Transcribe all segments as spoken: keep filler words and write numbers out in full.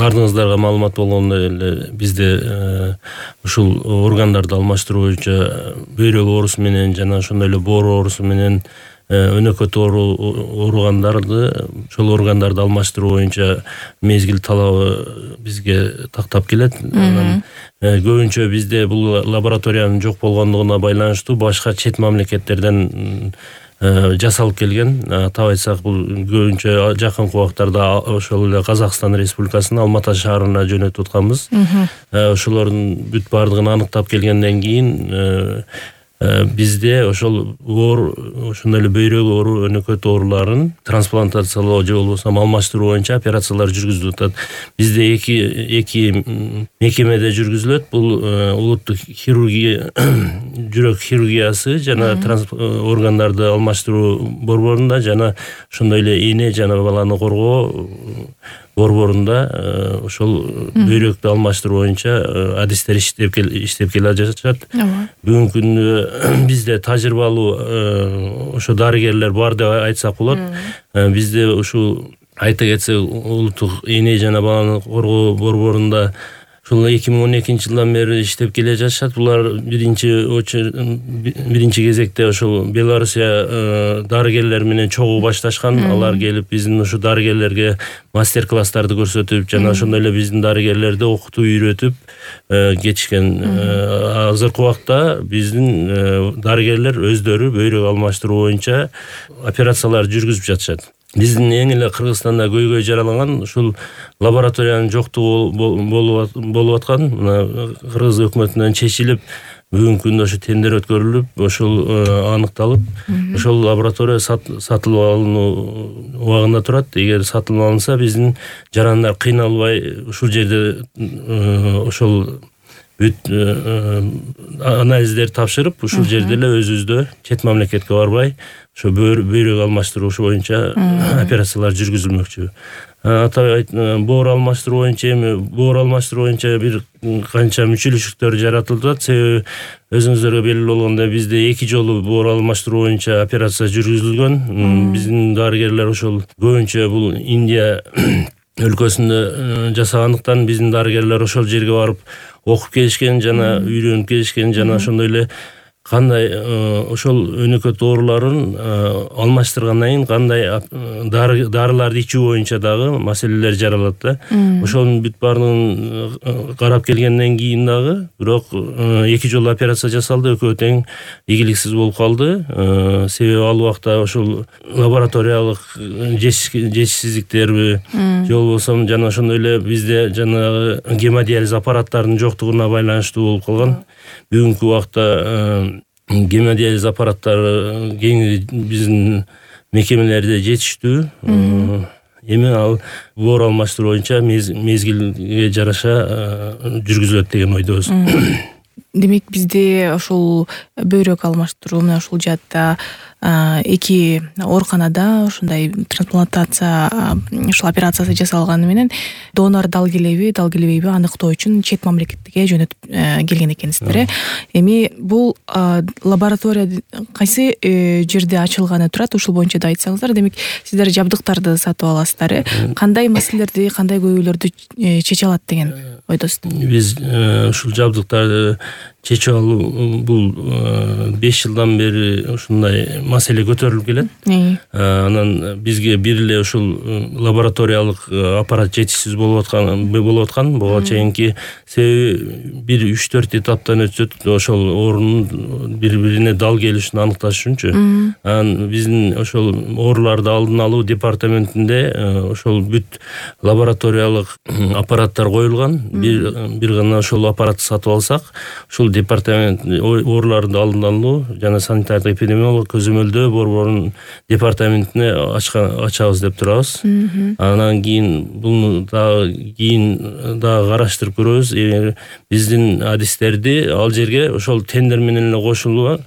бардыгыңыздарга маалымат болгондой эле бизде ушул органдарды алмаштыруу боюнча бөйрөк оорусу менен жана ошондой эле боор оорусу менен өнөкөт ооругандарды ошол органдарды алмаштыруу боюнча мезгил талабы бизге тактап келет. Анан көбүнчө бизде бул лабораториянын жок болгондугуна байланыштуу башка чет мамлекеттерден жасалып келген. Атап айтсак, бул көбүнчө жакынкы убактарда ошол эле Казакстан Республикасынын Алматы шаарына жөнөтүп атканбыз. Ошолордун бүт бардыгын аныктап келгенден кийин бизде ошол оор ошондой эле бөйрөк оору, өнөкөт ооруларын трансплантациялоо же болбосо алмаштыруу боюнча операциялар жүргүзүлүп атат. Бизде эки эки мекемеде жүргүзүлөт. Бул улуттук хирургия, жүрөк хирургиясы жана органдарды алмаштыруу борборунда жана ошондой эле эне жана баланы коргоо борборунда ошол бөйрөктү алмаштыруу боюнча адистер иштеп иштеп келе жатышат. Бүгүнкү күндө бизде тажрыйбалуу ошо дарыгерлер бар деп айтсак болот. Бизде ушул айта кетсек, улуттук эне жана баланы коргоо борборунда ушул эки миң он экинчи жылдан бери иштеп келе жатышат. Булар биринчи биринчи кезекте ошол Белоруссия дарыгерлер менен чогуу башташкан. Алар келип биздин ушу дарыгерлерге мастер-класстарды көрсөтүп жана ошондой эле биздин дарыгерлерди окутуп, үйрөтүп кетишкен. Азыркы убакта биздин дарыгерлер өздөрү бөйрөк алмаштыруу боюнча операциялар жүргүзүп жатышат. Биздин эң эле Кыргызстанда көйгөй жаралаган ушул лабораториянын жоктугу болуп аткан. Кыргыз өкмөтүнөн чечилип, бүгүнкү күндө ошо тендер өткөрүлүп, ошол аныкталып, ошол лаборатория сатылып алынуу убагында турат. Эгер сатылып алынса, биздин жарандар кыйналбай ушул жерде ошол бүт анализдерди тапшырып, ушул жерде эле өзүбүздө чет мамлекетке барбай ошо бөйрөк алмаштыруу боюнча операциялар жүргүзүлмөкчү. Атап боор алмаштыруу боюнча эми боор алмаштыруу боюнча бир канча мүчөлүшүктөр жаратылып атат. Себеби өзүңүздөргө белгилүү болгондой, бизде эки жолу боор алмаштыруу боюнча операция жүргүзүлгөн. Биздин дарыгерлер ошол көбүнчө бул Индия өлкөсүндө жасагандыктан биздин дарыгерлер ошол жерге барып окуп келишкен жана үйрөнүп келишкен жана ошондой эле кандай ошол өнөкөт ооруларын алмаштыргандан кийин кандай дарыларды ичүү боюнча дагы маселелер жаралат да. Ошонун бүт баардыгын карап келгенден кийин дагы бирок эки жолу операция жасалды, экөө тең ийгиликсиз болуп калды. Себеби ал убакта ошол лабораториялык жетишсиздиктерби же болбосо жана ошондой эле бизде жанагы гемодиализ аппараттарынын жоктугуна байланыштуу болуп калган. Бүгүнкү убакта гемодиализ аппараттары кеңири биздин мекемелерде жетиштүү. Эми ал боор алмаштыруу боюнча мезгилге жараша жүргүзүлөт деген ойдобуз. Демек, бизде ошол бөйрөк алмаштыруу менен ушул жаатта эки ооруканада ошондой трансплантация ушул операциясы жасалганы менен донор дал келеби, дал келбейби аныктоо үчүн чет мамлекетке жөнөтүп келген экенсиздер. Эми бул лаборатория кайсы жерде ачылганы турат, ушул боюнча да айтсаңыздар. Демек, сиздер жабдыктарды сатып аласыздар. Кандай маселелерди, кандай көйгөйлөрдү чече алат деген ойдосуздар? Биз ушул жабдыктарды чечип алуу бул беш жылдан бери ушундай маселе көтөрүлүп келет. Анан бизге бир эле ушул лабораториялык аппарат жетишсиз болуп аткан болуп аткан. Буга чейинки себеби бир үч төрт этаптан өтөт ошол оорунун бири-бирине дал келишин аныкташ үчүнчү. Анан биздин ошол ооруларды алдын алуу департаментинде ошол бүт лабораториялык аппараттар коюлган. Бир бир гана ошол аппаратты сатып алсак, ушул департамент ооруларды алдын алуу жана санитардык эпидемиологиялык көзөмөлдөө борборунун департаментине ачабыз деп турабыз. Анан кийин буну дагы кийин дагы караштырып көрөбүз. Биздин адистерди ал жерге ошол тендер менен эле кошулуп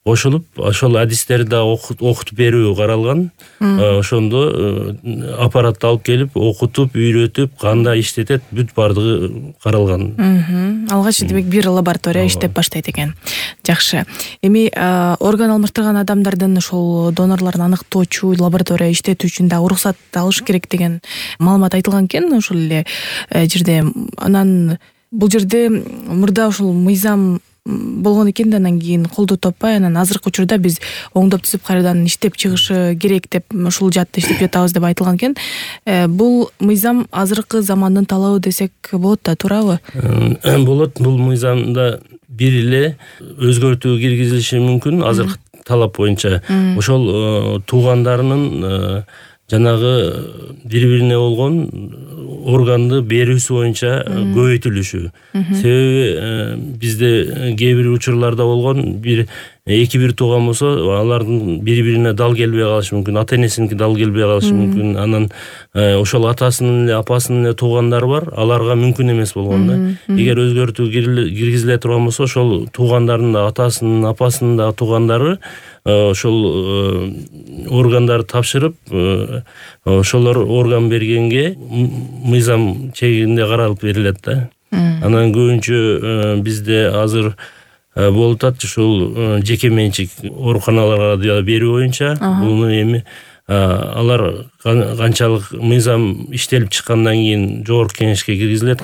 кошулуп ошол адистерди да окутуп берүү каралган. Ошондо аппаратты алып келип окутуп, үйрөтүп, кандай иштетет, бүт бардыгы каралган. Алгач демек бир лаборатория иштеп баштайт экен. Жакшы. Эми орган алмаштырган адамдардын ошол донорлорун аныктоочу лаборатория иштетүү үчүн да уруксат алыш керек деген маалымат айтылган экен ошол эле жерде. Анан бул жерде мурда ушул мыйзам болгон экен да, анан кийин колдоо таппай, анан азыркы учурда биз оңдоп түзүп кайрадан иштеп чыгышы керек деп ушул жаатта иштеп жатабыз деп айтылган экен. Бул мыйзам азыркы замандын талабы десек болот да, туурабы? Болот. Бул мыйзамда бир эле өзгөртүү киргизилиши мүмкүн азыркы талап боюнча. Ошол туугандарынын жанагы бири-бирине болгон органды берүүсү боюнча көбөйтүлүшү. Себеби бизде кээ бир учурларда болгон бир эки бир тууган болсо, алардын бири-бирине дал келбей калышы мүмкүн, ата-энесиники дал келбей калышы мүмкүн. Анан ошол атасынын эле, апасынын эле туугандары бар, аларга мүмкүн эмес болгон да. Эгер өзгөртүү киргизиле турган болсо, ошол туугандардын да, атасынын, апасынын да туугандары ошол органдарды тапшырып, ошолор орган бергенге мыйзам чегинде каралып берилет да. Анан көбүнчө бизде азыр болуп атат ушул жеке менчик ооруканаларга берүү боюнча. Буну эми алар канчалык мыйзам иштелип чыккандан кийин жогорку кеңешке киргизилет.